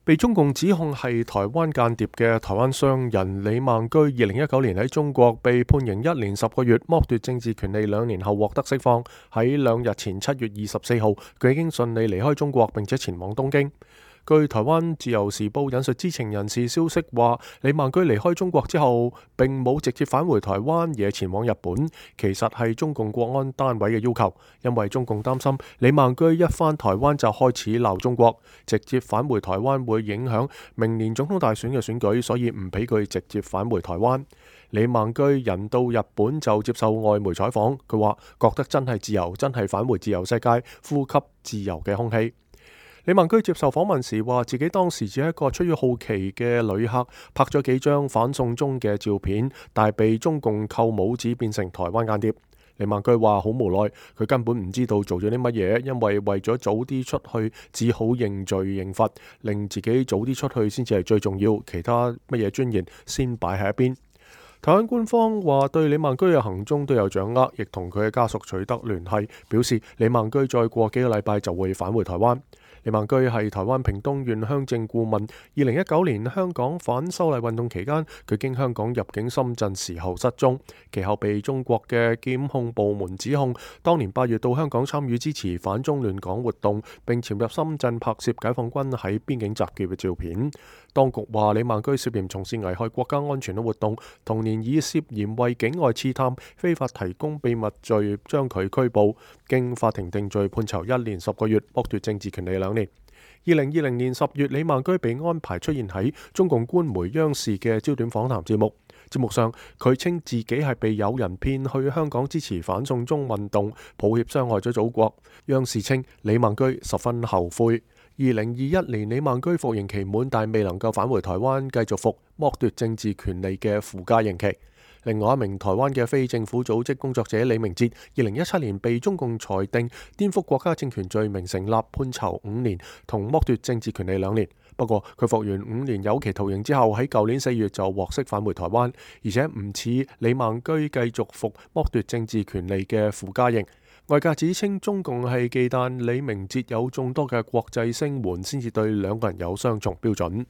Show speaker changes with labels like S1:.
S1: 被中共指控係台灣間諜嘅台灣商人李孟居，2019年喺中國被判刑1年10個月，剝奪政治權利2年後獲得釋放。喺2日前7月24號，佢已經順利離開中國，並且前往東京。據台灣自由時報引述知情人士消息話，李孟居離開中國之後並冇直接返回台灣，而係前往日本。其實係中共國安單位嘅要求，因為中共擔心李孟居一返台灣就開始鬧中國，直接返回台灣會影響明年總統大選嘅選舉，所以唔俾佢直接返回台灣。李孟居人到日本就接受外媒採訪，佢話覺得真係自由，真係返回自由世界，呼吸自由嘅空氣。李孟居接受訪問時話，自己當時只係一個出於好奇嘅旅客，拍咗幾張反送中嘅照片，但係被中共扣帽子變成台灣間諜。李孟居話好無奈，佢根本唔知道做咗啲乜嘢，因為為咗早啲出去，只好認罪認罰，令自己早啲出去先至係最重要，其他乜嘢尊嚴先擺喺一邊。台灣官方話對李孟居嘅行蹤都有掌握，亦同佢嘅家屬取得聯繫，表示李孟居再過幾個禮拜就會返回台灣。李孟居係台灣屏東縣鄉政顧問。2019年香港反修例運動期間，佢經香港入境深圳時候失蹤，其後被中國嘅檢控部門指控，當年8月到香港參與支持反中亂港活動，並潛入深圳拍攝解放軍喺邊境集結嘅照片。當局話李孟居涉嫌從事危害國家安全嘅活動，同年以涉嫌為境外刺探、非法提供秘密罪將佢拘捕，經法庭定罪判囚1年10個月，剝奪政治權利2年。2020年10月，李孟居被安排出現喺中共官媒央視嘅焦點訪談節目。節目上，佢稱自己係被有人騙去香港支持反送中運動，抱歉傷害咗祖國。央視稱李孟居十分後悔。2021年，李孟居服刑期滿，但未能夠返回台灣繼續服剝奪政治權利嘅附加刑期。另外一名台灣嘅非政府組織工作者李明哲，2017年被中共裁定顛覆國家政權罪名成立，判囚5年，同剝奪政治權利2年。不過佢服完5年有期徒刑之後，喺舊年4月就獲釋返回台灣，而且唔似李孟居繼續服剝奪政治權利嘅附加刑。外界指稱中共係忌憚李明哲有眾多嘅國際聲援，先至對兩個人有雙重標準。